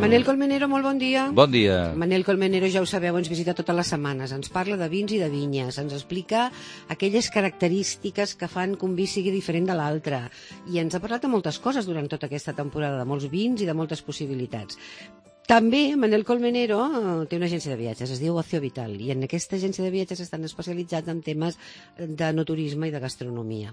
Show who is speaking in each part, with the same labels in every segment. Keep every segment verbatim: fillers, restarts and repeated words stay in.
Speaker 1: Manel Colmenero, molt bon dia.
Speaker 2: Bon dia.
Speaker 1: Manel Colmenero, ja ho sabeu, ens visita totes les setmanes. Ens parla de vins i de vinyes. Ens explica aquelles característiques que fan que un vi sigui diferent de l'altre. I ens ha parlat de moltes coses durant tota aquesta temporada, de molts vins i de moltes possibilitats. També Manel Colmenero té una agència de viatges, es diu Ocio Vital, i en aquesta agència de viatges estan especialitzats en temes de no turisme i de gastronomia.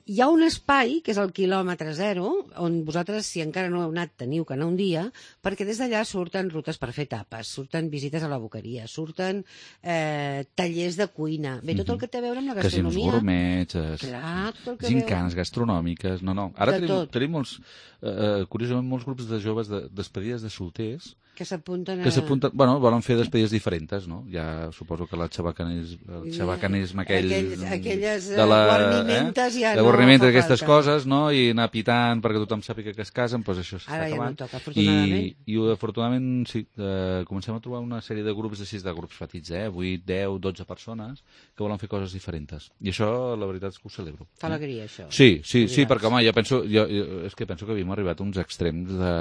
Speaker 1: Hi ha un espai, que és el quilòmetre zero, on vosaltres, si encara no heu anat, teniu que anar un dia, perquè des d'allà surten rutes per fer tapes, surten visites a la boqueria, surten eh, tallers de cuina, bé, tot el que té a veure amb la gastronomia.
Speaker 2: Casinos gourmets,
Speaker 1: Clar, tot el que
Speaker 2: gincanes
Speaker 1: veu...
Speaker 2: gastronòmiques, no, no. Ara
Speaker 1: De
Speaker 2: tenim,
Speaker 1: tot.
Speaker 2: tenim molts, eh, curiosament, molts grups de joves de despedides de solters
Speaker 1: que s'apunten a...
Speaker 2: que s'apunten, bueno, volen fer despedides diferents, no? Ja suposo que la xabacanis, el xabacanisme aquell...
Speaker 1: Aquell, aquelles
Speaker 2: de la,
Speaker 1: guarnimentes
Speaker 2: eh?
Speaker 1: ja
Speaker 2: de
Speaker 1: no
Speaker 2: guarnimentes,
Speaker 1: fa
Speaker 2: aquestes
Speaker 1: falta.
Speaker 2: coses, no? I anar pitant perquè tothom sàpiga que es casen, doncs això s'està
Speaker 1: Ara ja
Speaker 2: acabant.
Speaker 1: no toca, afortunadament.
Speaker 2: I, i afortunadament, sí, eh, comencem a trobar una sèrie de grups així, de grups petits, eh? vuit, deu, dotze persones que volen fer coses diferents. I això, la veritat és que ho celebro.
Speaker 1: Fa alegria, això.
Speaker 2: Sí, sí, sí, perquè, home, jo penso, jo, jo, és que penso que havíem arribat a uns extrems de,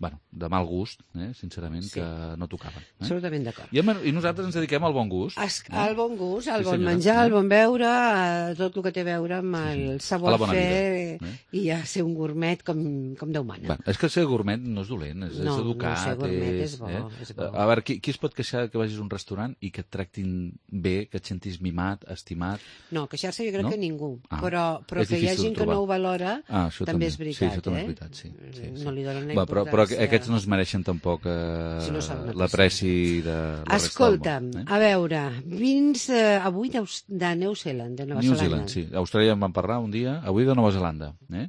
Speaker 2: bueno, de mal gust, eh? Sincerament, sí. que no tocaven. Eh?
Speaker 1: Absolutament d'acord.
Speaker 2: I, I nosaltres ens dediquem al bon gust.
Speaker 1: Es, al bon gust, al
Speaker 2: Sí,
Speaker 1: bon
Speaker 2: senyora.
Speaker 1: menjar, al bon beure, a tot el que té a veure amb el
Speaker 2: A la
Speaker 1: savoir-faire
Speaker 2: bona vida,
Speaker 1: i a ser un gourmet com, com Déu mana.
Speaker 2: Bueno, és que ser gourmet no és dolent, és,
Speaker 1: No,
Speaker 2: és educat.
Speaker 1: no, ser gourmet és bo,
Speaker 2: eh?
Speaker 1: és bo.
Speaker 2: A veure, qui, qui es pot queixar que vagis a un restaurant i que et tractin bé, que et sentis mimat, estimat?
Speaker 1: No, queixar-se jo crec
Speaker 2: No?
Speaker 1: que ningú,
Speaker 2: Ah,
Speaker 1: però, però
Speaker 2: és
Speaker 1: que hi ha
Speaker 2: difícil
Speaker 1: gent
Speaker 2: de
Speaker 1: que no
Speaker 2: trobar.
Speaker 1: ho valora
Speaker 2: Ah, això
Speaker 1: també
Speaker 2: també.
Speaker 1: és veritat,
Speaker 2: Sí, això també
Speaker 1: eh?
Speaker 2: és veritat, sí. sí, sí.
Speaker 1: No li donen la
Speaker 2: Va, però, però
Speaker 1: importància.
Speaker 2: aquests no es mereixen tampoc eh,
Speaker 1: Si no saben
Speaker 2: l'apreci de la
Speaker 1: Escolta,
Speaker 2: resta del món. Eh?
Speaker 1: a veure, vins eh, avui de, de New Zealand, de Nova
Speaker 2: New
Speaker 1: Zelanda.
Speaker 2: Zealand, sí. A Austràlia en vam parlar un dia, avui de Nova Zelanda. Eh?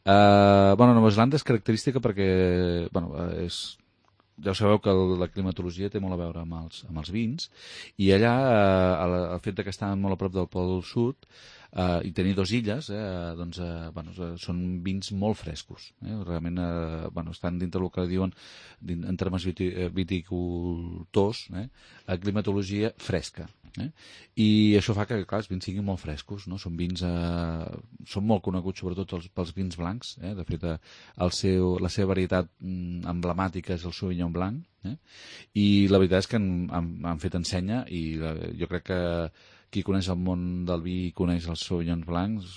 Speaker 2: Uh, bueno, Nova Zelanda és característica perquè, bueno, és, ja ho sabeu que el, la climatologia té molt a veure amb els, amb els vins, i allà uh, el, el fet de que estan molt a prop del Pol Sud Uh, i tenir dues illes, eh, doncs, uh, bueno, són vins molt frescos. Eh? Realment uh, bueno, estan dintre del que diuen din, en termes viti, viticultors, eh? a climatologia fresca. Eh? I això fa que, clar, els vins siguin molt frescos, no? Són vins, eh, són molt coneguts sobretot els, pels vins blancs. Eh? De fet, el seu, la seva varietat mm, emblemàtica és el Sauvignon Blanc. Eh? I la veritat és que han, han, han fet ensenya i la, jo crec que qui coneix el món del vi i coneix els Sauvignons blancs,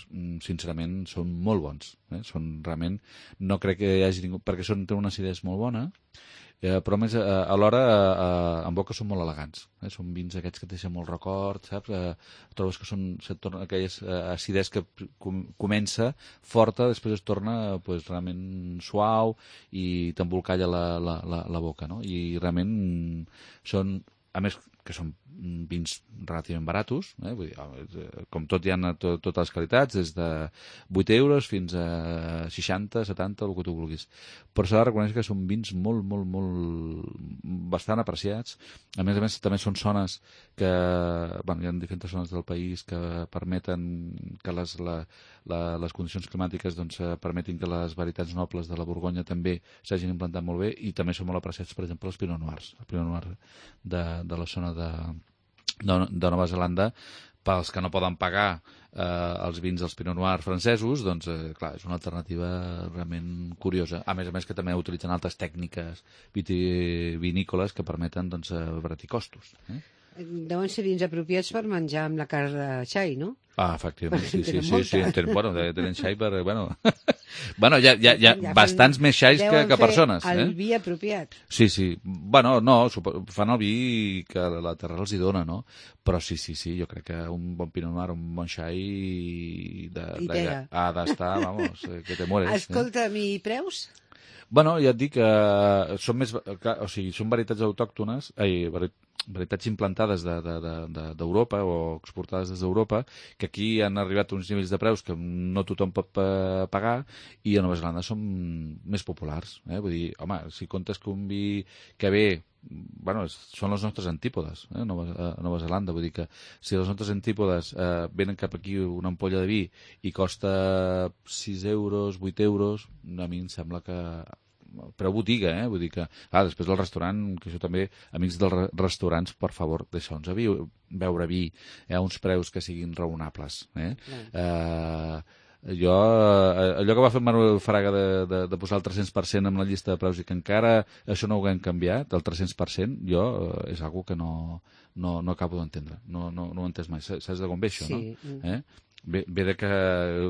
Speaker 2: sincerament, són molt bons. Eh? Són realment... No crec que hi hagi ningú... Perquè són, tenen una acidesa molt bona, eh, però a més, eh, alhora, eh, en boca són molt elegants. Eh? Són vins aquests que et deixen molt record, saps? Eh, trobes que són... Se't torna aquella eh, acidesa que com, comença forta, després es torna pues, realment suau i t'embolcalla la, la, la, la boca, no? I realment són... A més, que són vins relativament baratos, eh? Vull dir, com tot hi ha to, totes les qualitats, des de vuit euros fins a seixanta, setanta, el que tu vulguis. Però s'ha de reconèixer que són vins molt, molt, molt... bastant apreciats. A més a més, també són zones que... Bueno, hi ha diferents zones del país que permeten que les, la, la, les condicions climàtiques doncs, permetin que les varietats nobles de la Borgonya també s'hagin implantat molt bé i també són molt apreciats, per exemple, els Pinot Noirs. El Pinot Noir de, de la zona de, de, de Nova Zelanda, pels que no poden pagar eh, els vins dels Pinot Noir francesos, doncs, eh, clar, és una alternativa realment curiosa. A més a més que també utilitzen altres tècniques vitivinícoles que permeten doncs, abaratir costos. Eh?
Speaker 1: Deuen ser vins apropiats per menjar amb la carn de xai, no?
Speaker 2: Ah, efectivament, sí, sí, sí, sí,
Speaker 1: molta.
Speaker 2: tenen, bueno, tenen xai per... Bueno, bueno hi ha, hi ha, hi ha ja bastants més xais que, que persones.
Speaker 1: El
Speaker 2: eh?
Speaker 1: vi apropiat.
Speaker 2: Sí, sí. Bueno, no, fan el vi que la terra els hi dona, no? Però sí, sí, sí, jo crec que un bon Pinot Noir, un bon xai de, de, ha d'estar, vamos, que te mueres.
Speaker 1: Escolta'm, eh? I preus?
Speaker 2: Bueno, ja et dic que són més... O sigui, són varietats autòctones, ai, varietats implantades d'Europa de, de, de, o exportades des d'Europa, que aquí han arribat a uns nivells de preus que no tothom pot pagar i a Nova Zelanda són més populars. Eh? Vull dir, home, si comptes que un vi que ve... Bueno, són les nostres antípodes, eh, Nova, a Nova Zelanda. Vull dir que si les nostres antípodes eh, venen cap aquí una ampolla de vi i costa sis euros, vuit euros, a mi em sembla que... Preu botiga, eh? Vull dir que... Ah, després del restaurant, que això també, amics dels re restaurants, per favor, deixeu-nos beure vi eh, a uns preus que siguin raonables. Eh? Eh, jo, eh, allò que va fer Manuel Fraga de, de, de posar el tres-cents per cent amb la llista de preus i que encara això no ho haguem canviat, el tres-cents per cent, jo eh, és algo que no, no, no acabo d'entendre. No, no, no ho he entès mai. Saps de com ve això,
Speaker 1: Sí.
Speaker 2: no? Eh? Ve, ve de que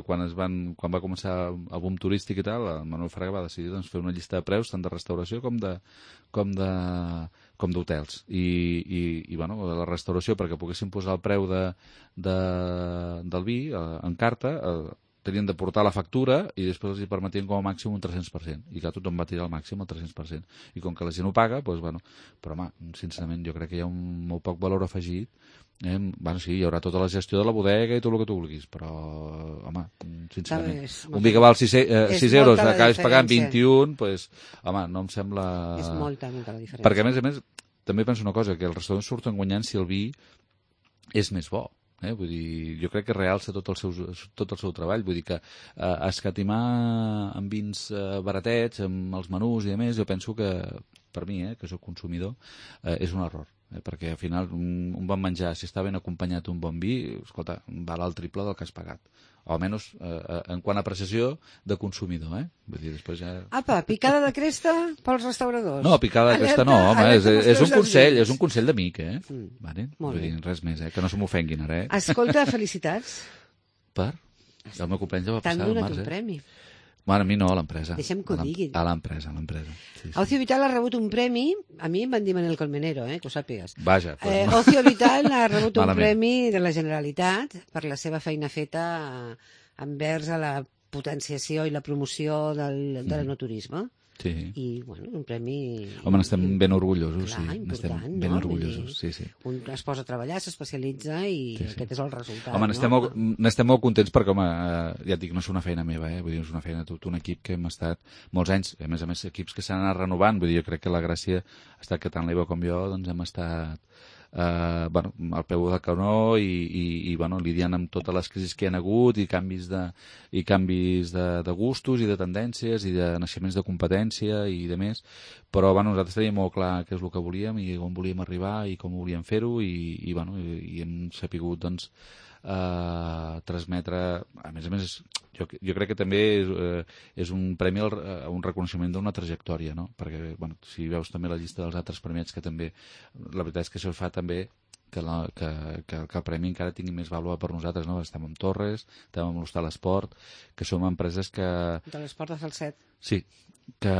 Speaker 2: quan, es van, quan va començar el boom turístic i tal, el Manuel Fraga va decidir doncs, fer una llista de preus tant de restauració com de com de com d'hotels. I, i, i bueno, la restauració, perquè poguessin posar el preu de, de, del vi eh, en carta, eh, tenien de portar la factura i després els hi permetien com a màxim un tres-cents per cent. I clar, tothom va tirar al màxim el tres-cents per cent. I com que la gent ho paga, doncs, bueno, però home, sincerament, jo crec que hi ha un molt poc valor afegit. Eh, bueno, sí, hi haurà tota la gestió de la bodega i tot el que tu vulguis, però, home, sincerament,
Speaker 1: és
Speaker 2: un vi que val sis euros,
Speaker 1: molta la
Speaker 2: acabes pagant
Speaker 1: diferència.
Speaker 2: vint-i-un, pues, home, no em sembla...
Speaker 1: És molta, molta la diferència.
Speaker 2: Perquè, a més a més, també penso una cosa, que els restaurants surten guanyant si el vi és més bo. Eh? Vull dir, jo crec que realça tot el seu, tot el seu treball. Vull dir que eh, escatimar amb vins eh, baratets, amb els menús i a més, jo penso que, per mi, eh, que soc consumidor, eh, és un error. Eh, perquè al final un, un bon menjar, si està ben acompanyat un bon vi, escolta, val el triple del que has pagat. O almenys eh, en quant a apreciació de consumidor, eh? Vull dir, després ja...
Speaker 1: Apa, picada de cresta pels restauradors.
Speaker 2: No, picada de cresta no,
Speaker 1: Alerta-
Speaker 2: home, és,
Speaker 1: alerta
Speaker 2: és un
Speaker 1: pels
Speaker 2: consell,
Speaker 1: vins.
Speaker 2: és un consell d'amic, eh?
Speaker 1: Mm.
Speaker 2: Vale?
Speaker 1: Molt
Speaker 2: Vull dir,
Speaker 1: bé.
Speaker 2: res més, eh? Que no se m'ofenguin ara, eh?
Speaker 1: Escolta, felicitats.
Speaker 2: Per? El meu company ja va
Speaker 1: T'han
Speaker 2: passar al
Speaker 1: donat
Speaker 2: març,
Speaker 1: un
Speaker 2: eh?
Speaker 1: premi.
Speaker 2: Bueno, a mi no, a l'empresa.
Speaker 1: Deixem que ho
Speaker 2: A l'em-
Speaker 1: digui.
Speaker 2: A l'empresa, a l'empresa. Sí, sí.
Speaker 1: Ocio Vital ha rebut un premi, a mi em van dir Manel Colmenero, eh, que ho sàpigues.
Speaker 2: Vaja, pues,
Speaker 1: Eh, Ocio Vital ha rebut un
Speaker 2: Malament.
Speaker 1: premi de la Generalitat per la seva feina feta envers a la potenciació i la promoció del, de l'enoturisme.
Speaker 2: sí.
Speaker 1: I, bueno, un premi...
Speaker 2: Home, n'estem ben orgullosos,
Speaker 1: Clar,
Speaker 2: sí. N'estem
Speaker 1: important,
Speaker 2: ben
Speaker 1: no?
Speaker 2: orgullosos,
Speaker 1: Vull dir,
Speaker 2: sí, sí.
Speaker 1: Un es posa a treballar, s'especialitza i
Speaker 2: Sí, sí.
Speaker 1: aquest és el resultat.
Speaker 2: Home, n'estem
Speaker 1: no?
Speaker 2: molt, n'estem molt contents perquè, home, eh, ja et dic, no és una feina meva, eh? Vull dir, és una feina de tot un equip que hem estat molts anys, a més a més, equips que s'han anat renovant, vull dir, jo crec que la gràcia ha estat que tant l'Eva com jo, doncs hem estat eh, bueno, al peu del canó i, i, i bueno, lidiant amb totes les crisis que hi ha hagut i canvis de, i canvis de, de gustos i de tendències i de naixements de competència i de més, però bueno, nosaltres teníem molt clar què és el que volíem i on volíem arribar i com volíem fer-ho i, i, bueno, i, i hem sapigut doncs, eh, transmetre, a més a més jo, jo crec que també és, eh, és un premi, al, a un reconeixement d'una trajectòria, no? Perquè bueno, si veus també la llista dels altres premiats que també, la veritat és que això fa també que, la, que, que, que el premi encara tingui més vàlua per nosaltres, no? Estem amb Torres, estem amb l'Hostal Esport, que som empreses que...
Speaker 1: De l'esport de Falset.
Speaker 2: Sí, que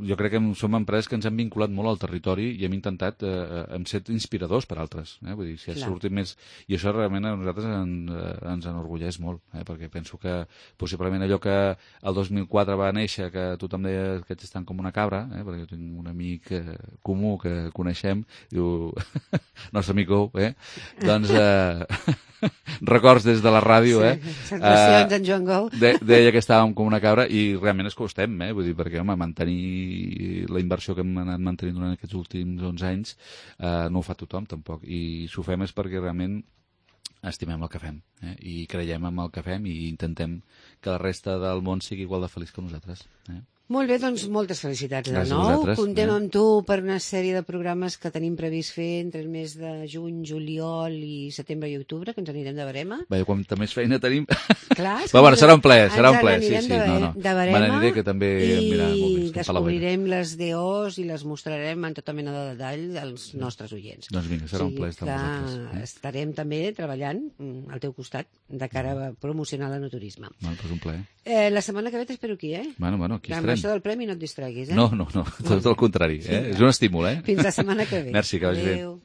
Speaker 2: jo crec que som empreses que ens han vinculat molt al territori i hem intentat eh, hem set inspiradors per altres, eh? Vull dir, si ha
Speaker 1: Clar.
Speaker 2: sortit més... I això realment a nosaltres en, eh, ens enorgulleix molt, eh? Perquè penso que possiblement allò que el dos mil quatre va néixer, que tothom deia que aquests estan com una cabra, eh? Perquè jo tinc un amic eh, comú que coneixem, diu, nostre amic, eh? Doncs... Eh, records des de la ràdio,
Speaker 1: Sí,
Speaker 2: eh?
Speaker 1: sensacions en Joan Gou.
Speaker 2: De, deia que estàvem com una cabra i realment és que ho estem, eh? Vull dir, perquè, home, mantenir la inversió que hem anat mantenint durant aquests últims onze anys eh, no ho fa tothom, tampoc. I si ho fem és perquè realment estimem el que fem, eh? I creiem en el que fem i intentem que la resta del món sigui igual de feliç que nosaltres, eh?
Speaker 1: Molt bé, doncs moltes felicitats de
Speaker 2: Gràcies a
Speaker 1: nou.
Speaker 2: vosaltres,
Speaker 1: Contem
Speaker 2: eh?
Speaker 1: amb tu per una sèrie de programes que tenim previst fer entre el mes de juny, juliol i setembre i octubre, que ens anirem de barema.
Speaker 2: Bé, quanta més feina tenim...
Speaker 1: Clar, és
Speaker 2: Però bueno,
Speaker 1: que
Speaker 2: serà un ple, serà
Speaker 1: ens
Speaker 2: un ple, sí,
Speaker 1: n'anirem
Speaker 2: sí,
Speaker 1: de,
Speaker 2: no, no.
Speaker 1: de barema
Speaker 2: Me n'aniré, que també em anirà molt bé,
Speaker 1: i
Speaker 2: estem per la boira.
Speaker 1: descobrirem les D Os i les mostrarem en tota mena de detall als nostres oients.
Speaker 2: Doncs vinga, serà
Speaker 1: O
Speaker 2: un
Speaker 1: sigui
Speaker 2: ple estar
Speaker 1: que
Speaker 2: amb vosaltres. Eh?
Speaker 1: estarem també treballant mm, al teu costat de cara a promocionar l'enoturisme.
Speaker 2: Bueno, doncs un ple.
Speaker 1: Eh, la setmana que ve t'espero aquí, eh?
Speaker 2: Bueno, bueno, aquí
Speaker 1: Amb
Speaker 2: estarem.
Speaker 1: això del premi no et distreguis, eh?
Speaker 2: No, no, no, tot el contrari, eh? És un estímul, eh?
Speaker 1: Fins la setmana que ve.
Speaker 2: Merci, que vagi bé.
Speaker 1: Adéu.